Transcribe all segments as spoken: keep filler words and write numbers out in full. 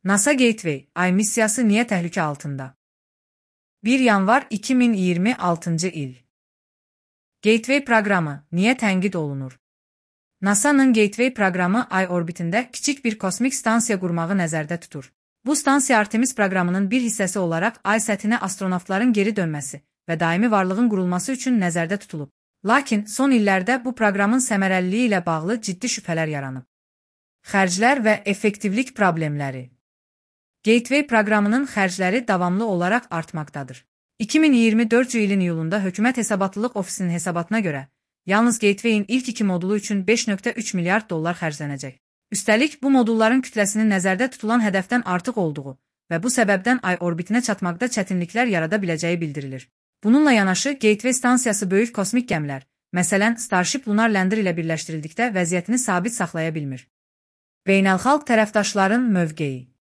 NASA Gateway, Ay missiyası niye təhlükə altında? bir yanvar iki min iyirmi altıncı il. Gateway proqramı niyə tənqid olunur? NASA'nın Gateway proqramı Ay orbitində kiçik bir kosmik stansiya qurmağı nəzərdə tutur. Bu stansiya Artemis proqramının bir hissəsi olaraq Ay səthinə astronavtların geri dönməsi və daimi varlığın qurulması üçün nəzərdə tutulub. Lakin son illərdə bu proqramın səmərəliliyi ilə bağlı ciddi şübhələr yaranıb. Xərclər və effektivlik problemləri. Gateway proqramının xərcləri davamlı olaraq artmaqdadır. iki min iyirmi dördüncü ilin iyulunda Hökumət Hesabatlılıq Ofisinin hesabatına görə, yalnız Gateway'in ilk iki modulu üçün beş nöqtə üç milyard dollar xərclənəcək. Üstəlik, bu modulların kütləsinin nəzərdə tutulan hədəfdən artıq olduğu və bu səbəbdən Ay orbitinə çatmaqda çətinliklər yarada biləcəyi bildirilir. Bununla yanaşı, Gateway stansiyası böyük kosmik gəmilər, məsələn Starship Lunar Lander ilə birləşdirildikdə vəziyyətini sabit saxlaya bilmir. Beynəlxalq tərəfdaşların mövqeyi.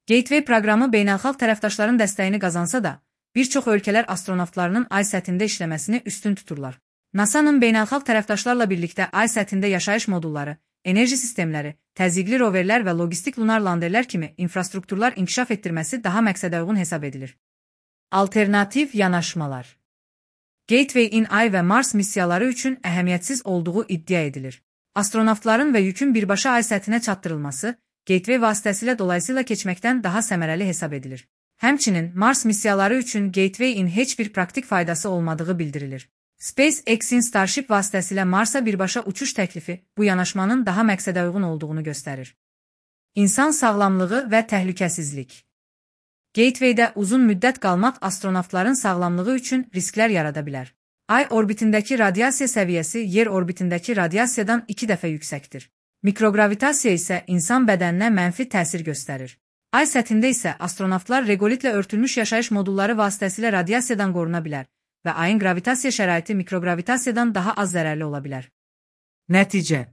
Gateway proqramı beynəlxalq tərəfdaşların dəstəyini qazansa da, bir çox ölkələr astronavtlarının Ay səthində işləməsini üstün tuturlar. NASA'nın beynəlxalq tərəfdaşlarla birlikdə Ay səthində yaşayış modulları, enerji sistemləri, təzyiqli roverlər və logistik lunar landerlər kimi infrastrukturlar inkişaf etdirməsi daha məqsədəuyğun hesab edilir. Alternativ yanaşmalar. Gateway-in Ay və Mars missiyaları üçün əhəmiyyətsiz olduğu iddia edilir. Astronavtların və yükün birbaşa Ay səthinə çatdırılması, Gateway vasitəsilə dolayısıyla keçməkdən daha səmərəli hesab edilir. Həmçinin Mars missiyaları üçün Gateway-in heç bir praktik faydası olmadığı bildirilir. SpaceX-in Starship vasitəsilə Marsa birbaşa uçuş təklifi bu yanaşmanın daha məqsədəuyğun olduğunu göstərir. İnsan sağlamlığı və təhlükəsizlik. Gateway-də uzun müddət qalmaq astronavtların sağlamlığı üçün risklər yarada bilər. Ay orbitindəki radiasiya səviyyəsi yer orbitindəki radiasiyadan iki dəfə yüksəkdir. Mikrogravitasiya isə insan bədəninə mənfi təsir göstərir. Ay səthində isə astronavtlar regolitlə örtülmüş yaşayış modulları vasitəsilə radiasiyadan qoruna bilər və Ayın gravitasiya şəraiti mikrogravitasiyadan daha az zərərli ola bilər. Nəticə.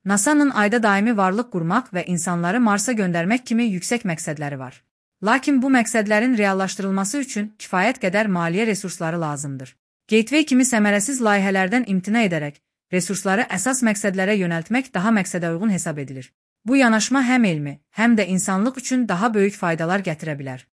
NASA'nın Ayda daimi varlıq qurmaq və insanları Marsa göndərmək kimi yüksək məqsədləri var. Lakin bu məqsədlərin reallaşdırılması üçün kifayət qədər maliyyə resursları lazımdır. Gateway kimi səmərəsiz layihələrdən imtina edərək, resursları əsas məqsədlərə yönəltmək daha məqsədəuyğun hesab edilir. Bu yanaşma həm elmi, həm də insanlıq üçün daha böyük faydalar gətirə bilər.